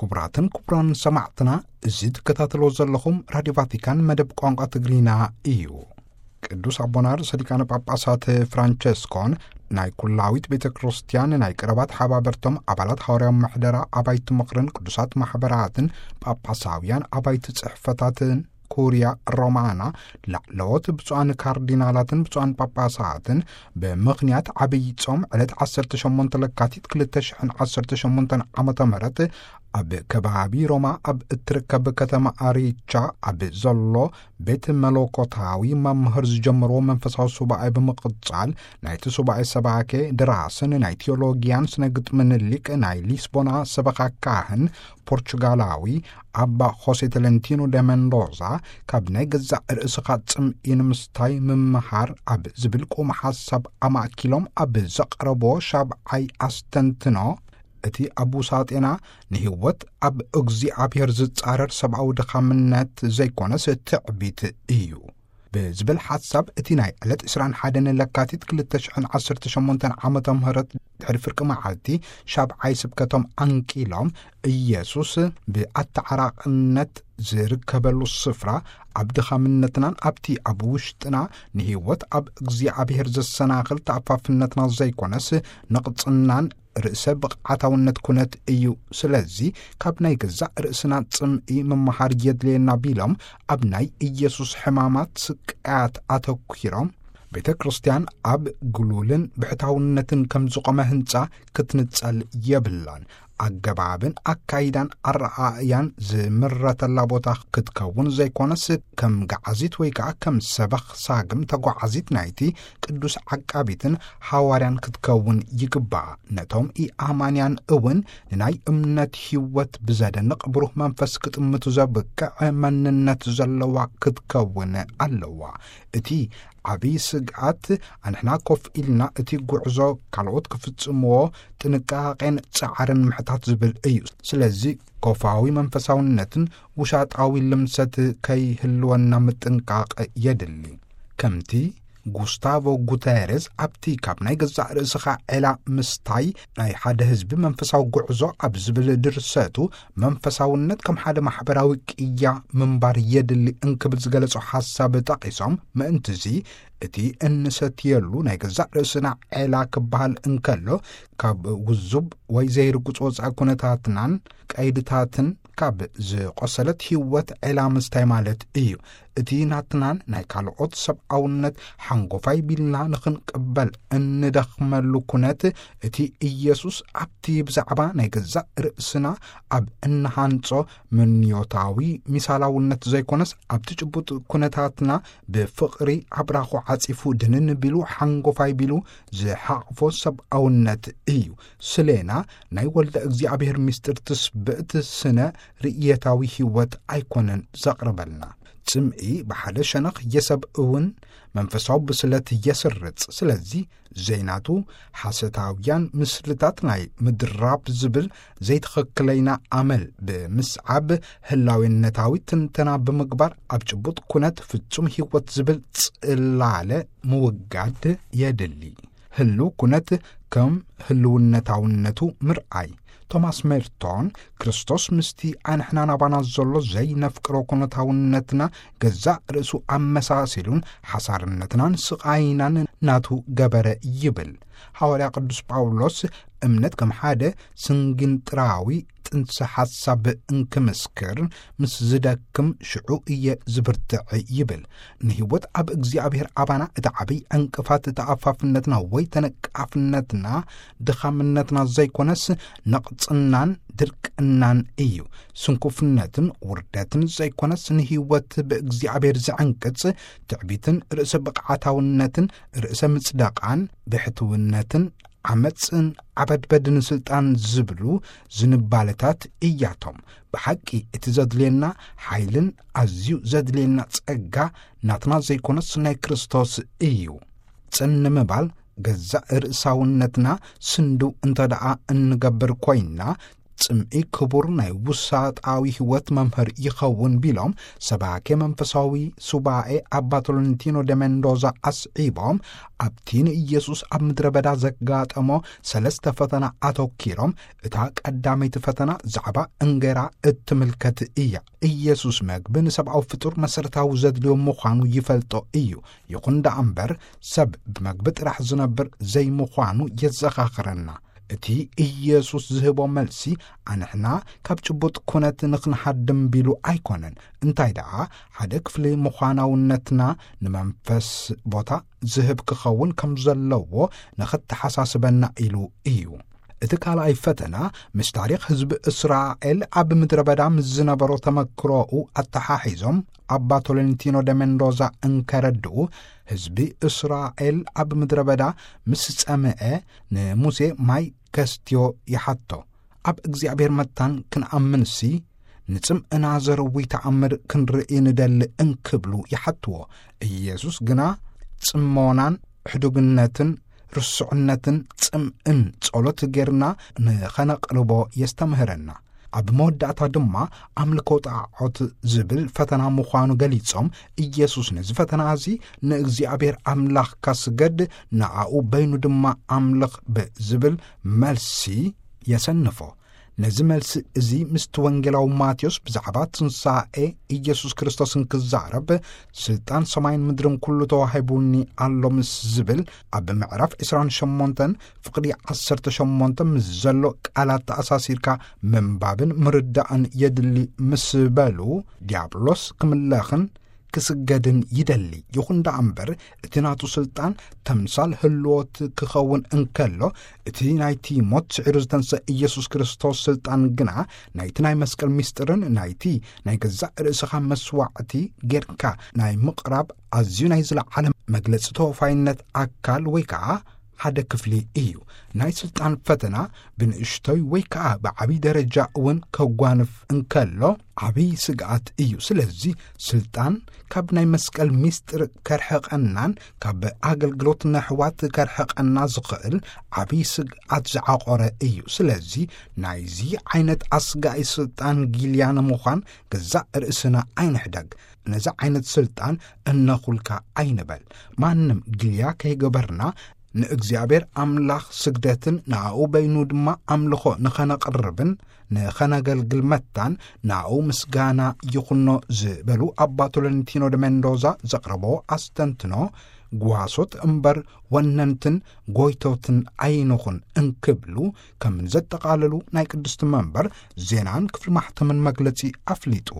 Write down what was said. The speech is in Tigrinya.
ክቡራትን ክቡራን ሰማዕትና፣ እዚ ትከታተሎ ዘለኹም ራዲዮ ቫቲካን መደብ ቋንቋ ትግርኛ እዩ። ቅዱስ ኣቦና ርእሰ ሊቃነ ጳጳሳት ፍራንቸስኮን ናይ ኩላዊት ቤተ ክርስቲያን ናይ ቀረባት ሓባበርቶም ኣባላት ሓዋርያዊ ምሕደራ ኣባይቲ ምኽርን ቅዱሳት ማሕበራትን ጳጳሳውያን ኣባይቲ ጽሕፈታትን ኩርያ ሮማና ላዕለዎት ብፁዓን ካርዲናላትን ብፁዓን ጳጳሳትን ብምኽንያት ዓብይ ጾም ዕለት ዓሰርተ ሸሞንተ ለካቲት ክልተ ሽሕን ዓሰርተ ሸሞንተን ዓመተ ምህረት ኣብ ከባቢ ሮማ ኣብ እትርከብ ከተማ ኣሪቻ ኣብ ዘሎ ቤት መለኮታዊ መምህር ዝጀመርዎ መንፈሳዊ ሱባኤ ብምቕጻል፣ ናይቲ ሱባኤ ሰባኬ ደራስን ናይ ቴዎሎጊያን ስነ ግጥምን ሊቅ ናይ ሊስቦና ሰበኻ ካህን ፖርቹጋላዊ ኣባ ሆሴ ተለንቲኖ ደ መንዶዛ፣ ካብ ናይ ገዛእ ርእስኻ ጽምኢ ንምስታይ ምምሃር ኣብ ዝብል ቁም ሓሳብ ኣማእኪሎም ኣብ ዘቕረቦ ሻብዓይ ኣስተንትኖ፣ እቲ ኣብ ውሳጤና ንህይወት ኣብ እግዚኣብሔር ዝጻረር ሰብኣዊ ድኻምነት ዘይኮነስ ትዕቢት እዩ ብዝብል ሓሳብ፣ እቲ ናይ ዕለት ዕስራን ሓደን ለካቲት ክልተ ሽሕን ዓሰርተ ሸሞንተን ዓመተ ምህረት ድሕሪ ፍርቂ መዓልቲ ሻብዓይ ስብከቶም ኣንቂሎም፣ ኢየሱስ ብኣተዓራቕነት ዝርከበሉ ስፍራ ኣብ ድኻምነትናን ኣብቲ ኣብ ውሽጥና ንህይወት ኣብ እግዚኣብሔር ዘሰናኽል ተኣፋፍነትና ዘይኮነስ ነቕጽናን ርእሰ ብቕዓታውነት ኩነት እዩ። ስለዚ ካብ ናይ ገዛእ ርእስና ጽምኢ ምምሃር የድልየና ቢሎም፣ ኣብ ናይ ኢየሱስ ሕማማት ስቃያት ኣተኲሮም፣ ቤተ ክርስቲያን ኣብ ግሉልን ብሕታውነትን ከም ዝቖመ ህንጻ ክትንጸል የብላን። ኣገባብን ኣካይዳን ኣረኣእያን ዝምረተላ ቦታ ክትከውን ዘይኮነስ፣ ከም ገዓዚት ወይ ከኣ ከም ሰበኽ ሳግም ተጓዓዚት ናይቲ ቅዱስ ዓቃቢትን ሃዋርያን ክትከውን ይግባኣ። ነቶም ኢኣማንያን እውን ንናይ እምነት ህይወት ብዘደንቕ ብሩህ መንፈስ ክጥምቱ ዘብቅዕ መንነት ዘለዋ ክትከውን ኣለዋ። እቲ ዓብዪ ስግኣት፣ ኣንሕና ኮፍ ኢልና እቲ ጉዕዞ ካልኦት ክፍጽምዎ ጥንቃቄን ጻዕርን ምሕታት ዝብል እዩ። ስለዚ ኮፋዊ መንፈሳውነትን ውሻጣዊ ልምሰት ከይህልወና ምጥንቃቕ የድሊ። ከምቲ ጉስታቮ ጉተሬዝ ኣብቲ ካብ ናይ ገዛእ ርእስኻ ዔላ ምስታይ ናይ ሓደ ህዝቢ መንፈሳዊ ጉዕዞ ኣብ ዝብል ድርሰቱ፣ መንፈሳውነት ከም ሓደ ማሕበራዊ ቅያ ምንባር የድሊ እንክብል ዝገለጾ ሓሳብ ጠቒሶም፣ ምእንትዚ እቲ እንሰትየሉ ናይ ገዛእ ርእስና ዔላ ክበሃል እንከሎ፣ ካብ ውዙብ ወይ ዘይርጉጽ ወጻኢ ኩነታትናን ቀይድታትን ካብ ዝቆሰለት ህይወት ዔላ ምስታይ ማለት እዩ። እቲ ናትናን ናይ ካልኦት ሰብኣውነት ሓንጎፋይ ቢልና ንኽንቅበል እንደኽመሉ ኩነት፣ እቲ ኢየሱስ ኣብቲ ብዛዕባ ናይ ገዛእ ርእስና ኣብ እንሃንጾ ምንዮታዊ ሚሳላውነት ዘይኮነስ፣ ኣብቲ ጭቡጥ ኩነታትና ብፍቕሪ ኣብራኹ ዓጺፉ ድንን ቢሉ ሓንጎፋይ ቢሉ ዝሓቕፎ ሰብኣውነት እዩ። ስሌና ናይ ወልደ እግዚኣብሔር ምስጢር ትስብእት ስነ ርእየታዊ ህይወት ኣይኮነን ዘቕርበልና። ጽምኢ ብሓደ ሸነኽ የሰብ እውን መንፈሳዊ ብስለት የስርጽ። ስለዚ ዘይናቱ ሓሰታውያን ምስልታት ናይ ምድራብ ዝብል ዘይትኽክለይና ኣመል ብምስዓብ፣ ህላዌነታዊ ትንተና ብምግባር ኣብ ጭቡጥ ኩነት ፍጹም ህይወት ዝብል ጽላለ ምውጋድ የድሊ። ህልው ኩነት ከም ህልውነታውነቱ ምርኣይ። ቶማስ ሜርቶን፣ ክርስቶስ ምስቲ ኣንሕና ናባና ዘሎ ዘይነፍቅሮ ኩነታውነትና ገዛእ ርእሱ ኣመሳሲሉን ሓሳርነትናን ስቓይናን ናቱ ገበረ ይብል። ሃዋርያ ቅዱስ ጳውሎስ፣ እምነት ከም ሓደ ስንግንጥራዊ ጥንሰ ሓሳብ እንክምስክር፣ ምስ ዝደክም ሽዑ እየ ዝብርትዕ ይብል። ንህይወት ኣብ እግዚኣብሔር ኣባና እቲ ዓብይ ዕንቅፋት ተኣፋፍነትና ወይ ተነቃፍነትና፣ ድኻምነትና ዘይኮነስ፣ ነቕጽናን ድርቅናን እዩ። ስንኩፍነትን ውርደትን ዘይኮነስ፣ ንህይወት ብእግዚኣብሔር ዝዕንቅጽ ትዕቢትን ርእሰ ብቕዓታውነትን ርእሰ ምጽደቓን ብሕትውነትን ዓመጽን ዓበድበድን ስልጣን ዝብሉ ዝንባለታት እያቶም። ብሓቂ እቲ ዘድልየና ሓይልን ኣዝዩ ዘድልየና ጸጋ ናትና ዘይኮነስ ናይ ክርስቶስ እዩ። ጽን ንምባል ገዛእ ርእሳውነትና ስንድው እንተ ደኣ እንገብር ኮይንና፣ ጽምኢ ክቡር ናይ ውሳጣዊ ህይወት መምህር ይኸውን ቢሎም፣ ሰባኬ መንፈሳዊ ሱባኤ ኣባ ቶለንቲኖ ደ ሜንዶዛ ኣስዒቦም፣ ኣብቲ ንኢየሱስ ኣብ ምድረ በዳ ዘጋጠሞ ሰለስተ ፈተና ኣተኪሮም፣ እታ ቀዳመይቲ ፈተና ዛዕባ እንጌራ እትምልከት እያ። ኢየሱስ መግቢ ንሰብኣዊ ፍጡር መሰረታዊ ዘድልዮ ምዃኑ ይፈልጦ እዩ። ይኹን ደኣ እምበር፣ ሰብ ብመግቢ ጥራሕ ዝነብር ዘይምዃኑ የዘኻኽረና። እቲ ኢየሱስ ዝህቦ መልሲ፣ ኣንሕና ካብ ጭቡጥ ኩነት ንኽንሃድም ቢሉ ኣይኮነን። እንታይ ደኣ፣ ሓደ ክፍሊ ምዃናውነትና ንመንፈስ ቦታ ዝህብ ክኸውን ከም ዘለዎ ንኽተሓሳስበና ኢሉ እዩ። እቲ ካልኣይ ፈተና፣ ምስ ታሪኽ ህዝቢ እስራኤል ኣብ ምድረ በዳ ምስ ዝነበሮ ተመክሮኡ ኣተሓሒዞም፣ ኣባ ቶለንቲኖ ደ ሜንዶዛ እንከረድኡ፣ ህዝቢ እስራኤል ኣብ ምድረ በዳ ምስ ጸምአ፣ ንሙሴ ማይ ከስትዮ ይሓቶ። ኣብ እግዚኣብሔር መታን ክንኣምንሲ፣ ንጽምእና ዘርዊ ተኣምር ክንርኢ ንደሊ እንክብሉ ይሓትዎ። ኢየሱስ ግና ጽሞናን ሕዱግነትን ርስዕነትን ጽምእን ጸሎት ጌርና ንኸነቕርቦ የስተምህረና። ኣብ መወዳእታ ድማ ኣምልኮ ጣዖት ዝብል ፈተና ምዃኑ ገሊጾም፣ ኢየሱስ ነዚ ፈተና እዚ ንእግዚኣብሔር ኣምላኽካ ስገድ፣ ንኣኡ በይኑ ድማ ኣምልኽ ብዝብል መልሲ የሰንፎ። ነዚ መልሲ እዚ ምስቲ ወንጌላዊ ማቴዎስ ብዛዕባ ትንሳኤ ኢየሱስ ክርስቶስ እንክዛረብ፣ ስልጣን ሰማይን ምድርን ኩሉ ተዋሂቡኒ ኣሎ ምስ ዝብል፣ ኣብ ምዕራፍ ዕስራን ሸሞንተን ፍቕዲ ዓሰርተ ሸሞንተ ምስ ዘሎ ቃላት ተኣሳሲርካ ምንባብን ምርዳእን የድሊ ምስ በሉ፣ ዲያብሎስ ክምለኽን ክስገድን ይደሊ። ይኹን ደኣ እምበር፣ እቲ ናቱ ስልጣን ተምሳል ህልዎት ክኸውን እንከሎ፣ እቲ ናይቲ ሞት ስዒሩ ዝተንሰእ ኢየሱስ ክርስቶስ ስልጣን ግና፣ ናይቲ ናይ መስቀል ምስጢርን ናይቲ ናይ ገዛእ ርእስኻ መስዋዕቲ ጌርካ ናይ ምቕራብ ኣዝዩ ናይ ዝለዓለ መግለጺ ተወፋይነት ኣካል ወይ ከኣ ሓደ ክፍሊ እዩ። ናይ ስልጣን ፈተና ብንእሽቶይ ወይ ከኣ ብዓብይ ደረጃ እውን ከጓንፍ እንከሎ ዓብይ ስግኣት እዩ። ስለዚ ስልጣን ካብ ናይ መስቀል ምስጢር ከርሕቐናን ካብ ኣገልግሎት ነሕዋት ከርሕቐና ዝኽእል ዓብይ ስግኣት ዝዓቖረ እዩ። ስለዚ ናይዚ ዓይነት ኣስጋኢ ስልጣን ጊልያ ንምዃን ገዛእ ርእስና ኣይንሕደግ። ነዚ ዓይነት ስልጣን እነኹልካ ኣይንበል። ማንም ጊልያ ከይገበርና ንእግዚኣብሔር ኣምላኽ ስግደትን ንኣኡ በይኑ ድማ ኣምልኾ ንኸነቕርብን ንኸነገልግል መታን ንኣኡ ምስጋና ይኹኖ ዝበሉ ኣባ ቶለንቲኖ ደ ሜንዶዛ ዘቕረቦ ኣስተንትኖ፣ ጓሶት እምበር ወነንትን ጎይቶትን ኣይንኹን እንክብሉ ከም ዘጠቓለሉ ናይ ቅድስቲ መንበር ዜናን ክፍሊ ማሕተምን መግለጺ ኣፍሊጡ።